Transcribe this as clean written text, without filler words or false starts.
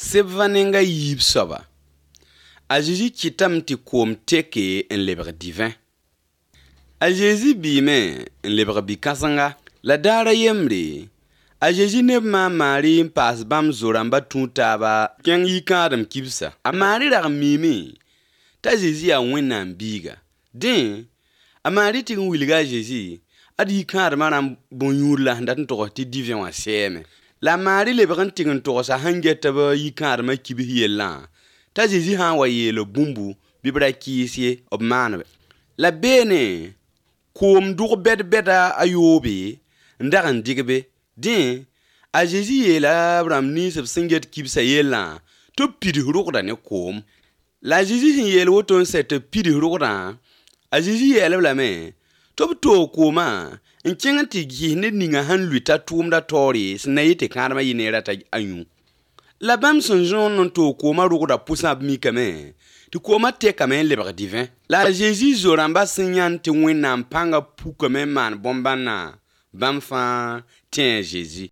Seb va nenga yib soba. A Jésus kitam ti koom teke en lebr divin. A Jésus bime en lebr bikasanga. La dara yemre. A Jésus neb ma Marie pas bam zoramba tuntaba ken yikadam kibsa. A Marie rar mimi. Ta Jésus a wennan biga. Den, a Marie ti wilga Jésus. Adi yikadam maram bonyurla dat to ti divin wa seme. La Marie lebran tigin to sa hangeta ba yikadam kibi yella. Ta Jésus han wa yelo bumbu bibra kisie ob manwe. La bene koom dur beda ayobe ndaran digbe din a Jésus yela Abraham ni sab singet kibsa yella to pidi rokda ne koom. La Jésus yel woton set pidi rokda a Jésus yela la me to koma en kenganti gi ne ninga han luita tumda tori snayete karma yinera ta anyu. La bam son jon non to koma rokda pusa mi kame ti koma te kame lebra divin. La Jésus zoramba sinyan ti wenna panga pu kame man bombana bam fa tien Jésus.